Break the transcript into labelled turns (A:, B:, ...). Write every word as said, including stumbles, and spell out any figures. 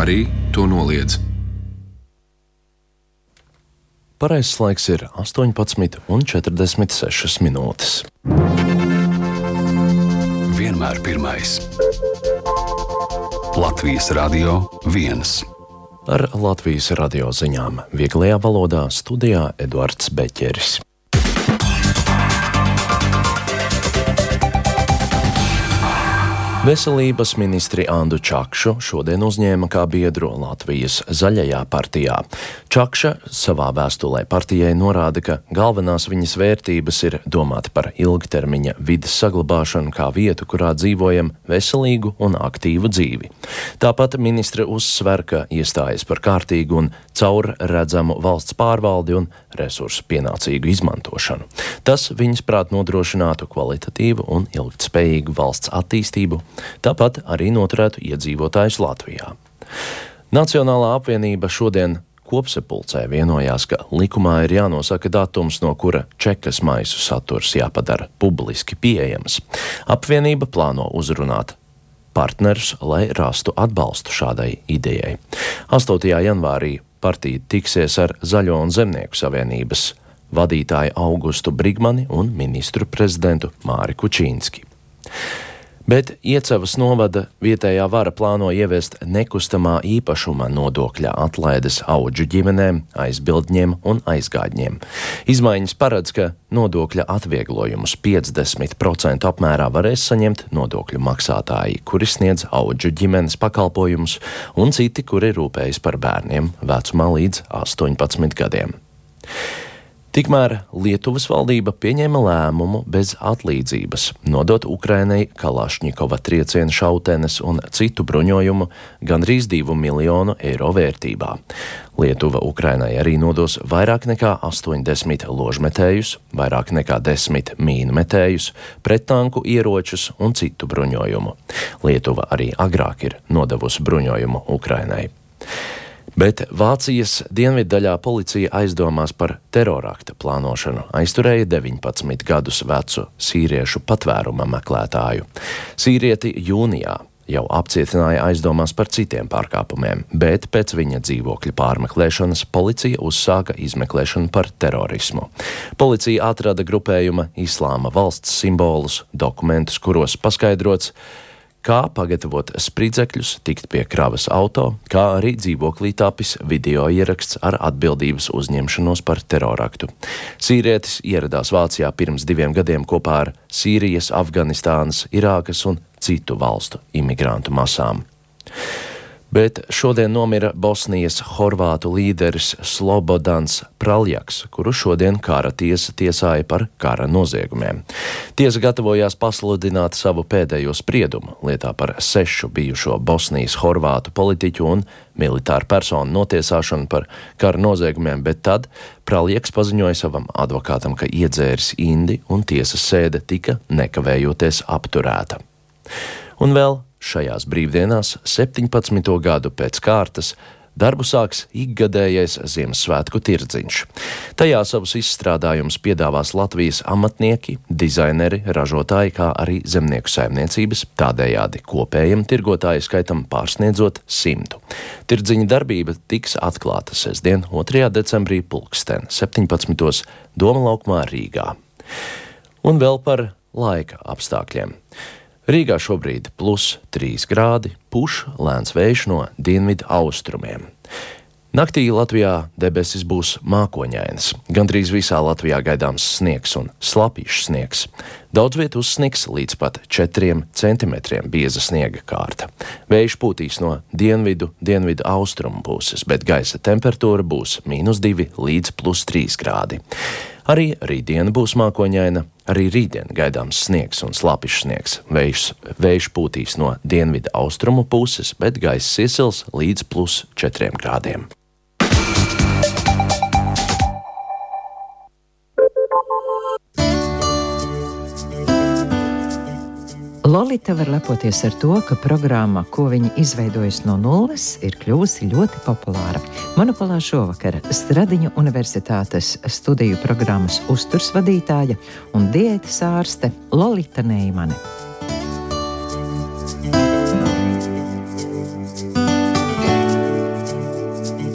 A: arī to noliedz.
B: Pareizais laiks ir astoņpadsmit un četrdesmit sešas minūtes.
A: Vienmēr pirmais. Latvijas Radio viens.
B: Ar Latvijas radio ziņām vieglajā valodā studijā Eduards Beķeris. Veselības ministri Andu Čakšu šodien uzņēma kā biedru Latvijas Zaļajā partijā. Čakša savā vēstulē partijai norāda, ka galvenās viņas vērtības ir domāt par ilgtermiņa vides saglabāšanu kā vietu, kurā dzīvojam veselīgu un aktīvu dzīvi. Tāpat ministre uzsver, ka iestājas par kārtīgu un caurredzamu valsts pārvaldi un resursu pienācīgu izmantošanu. Tas viņas prāt nodrošinātu kvalitatīvu un ilgtspējīgu valsts attīstību, tāpat arī noturētu iedzīvotājus Latvijā. Nacionālā apvienība šodien kopsapulcē vienojās, ka likumā ir jānosaka datums, no kura čekas maisu saturs jāpadara publiski pieejams. Apvienība plāno uzrunāt partnerus, lai rastu atbalstu šādai idejai. astotajā janvārī partija tiksies ar Zaļo un Zemnieku savienības vadītāju Augustu Brigmani un ministru prezidentu Māri Kučīnski. Bet Iecavas novada vietējā vara plāno ieviest nekustamā īpašuma nodokļa atlaides audžu ģimenēm, aizbildņiem un aizgādņiem. Izmaiņas paredz, ka nodokļa atvieglojumus piecdesmit procentu apmērā varēs saņemt nodokļu maksātāji, kuri sniedz audžu ģimenes pakalpojumus, un citi, kuri rūpējas par bērniem vecumā līdz astoņpadsmit gadiem. Tikmēr Lietuvas valdība pieņēma lēmumu bez atlīdzības nodot Ukrainai Kalašņikova triecienu šautenes un citu bruņojumu gandrīz divu miljonu eiro vērtībā. Lietuva Ukrainai arī nodos vairāk nekā astoņdesmit ložmetējus, vairāk nekā desmit mīnmetējus, prettanku ieročus un citu bruņojumu. Lietuva arī agrāk ir nodevusi bruņojumu Ukrainai. Bet Vācijas dienviddaļā policija aizdomās par terorakta plānošanu aizturēja deviņpadsmit gadus vecu sīriešu patvēruma meklētāju. Sīrieti jūnijā jau apcietināja aizdomās par citiem pārkāpumiem, bet pēc viņa dzīvokļa pārmeklēšanas policija uzsāka izmeklēšanu par terorismu. Policija atrada grupējuma Islāma valsts simbolus, dokumentus, kuros paskaidrots, kā pagatavot spridzekļus, tikt pie kravas auto, kā arī dzīvoklī tapis video ieraksts ar atbildības uzņemšanos par teroraktu. Sīrietis ieradās Vācijā pirms diviem gadiem kopā ar Sīrijas, Afganistānas, Irākas un citu valstu imigrantu masām. Bet šodien nomira Bosnijas horvātu līderis Slobodans Praljaks, kuru šodien kara tiesa tiesāja par kara noziegumiem. Tiesa gatavojās pasludināt savu pēdējo spriedumu lietā par sešu bijušo Bosnijas horvātu politiķu un militāru personu notiesāšanu par kara noziegumiem, bet tad Praljaks paziņoja savam advokātam, ka iedzēris indi un tiesas sēde tika nekavējoties apturēta. Un vēl šajās brīvdienās, septiņpadsmito gadu pēc kārtas, darbu sāks ikgadējais Ziemassvētku tirdziņš. Tajā savus izstrādājumus piedāvās Latvijas amatnieki, dizaineri, ražotāji, kā arī zemnieku saimniecības, tādējādi kopējam tirgotāju skaitam pārsniedzot simtu. Tirdziņa darbība tiks atklāta sestdien, otrajā decembrī pulksten septiņpadsmitos Doma laukumā Rīgā. Un vēl par laika apstākļiem. Rīgā šobrīd plus trīs grādi, puš lēns vējš no dienvidu austrumiem. Naktī Latvijā debesis būs mākoņainas. Gandrīz visā Latvijā gaidāms sniegs un slapīšs sniegs. Daudz vietu uzsnigs līdz pat četriem centimetriem bieza sniega kārta. Vējš pūtīs no dienvidu, dienvidu austrumu puses, bet gaisa temperatūra būs mīnus divi līdz plus trīs grādi. Arī rītdiena būs mākoņaina, arī rītdien gaidāms sniegs un slapīšs sniegs. Vējš, vējš pūtīs no dienvidu austrumu puses, bet gaisa iesils līdz plus četriem grādiem.
C: Lolita var lepoties ar to, ka programma, ko viņa izveidojusi no nulles, ir kļuvusi ļoti populāra. Monopolā šovakar Stradiņu Universitātes studiju programmas uzturs vadītāja un diētas ārste Lolita Neimane.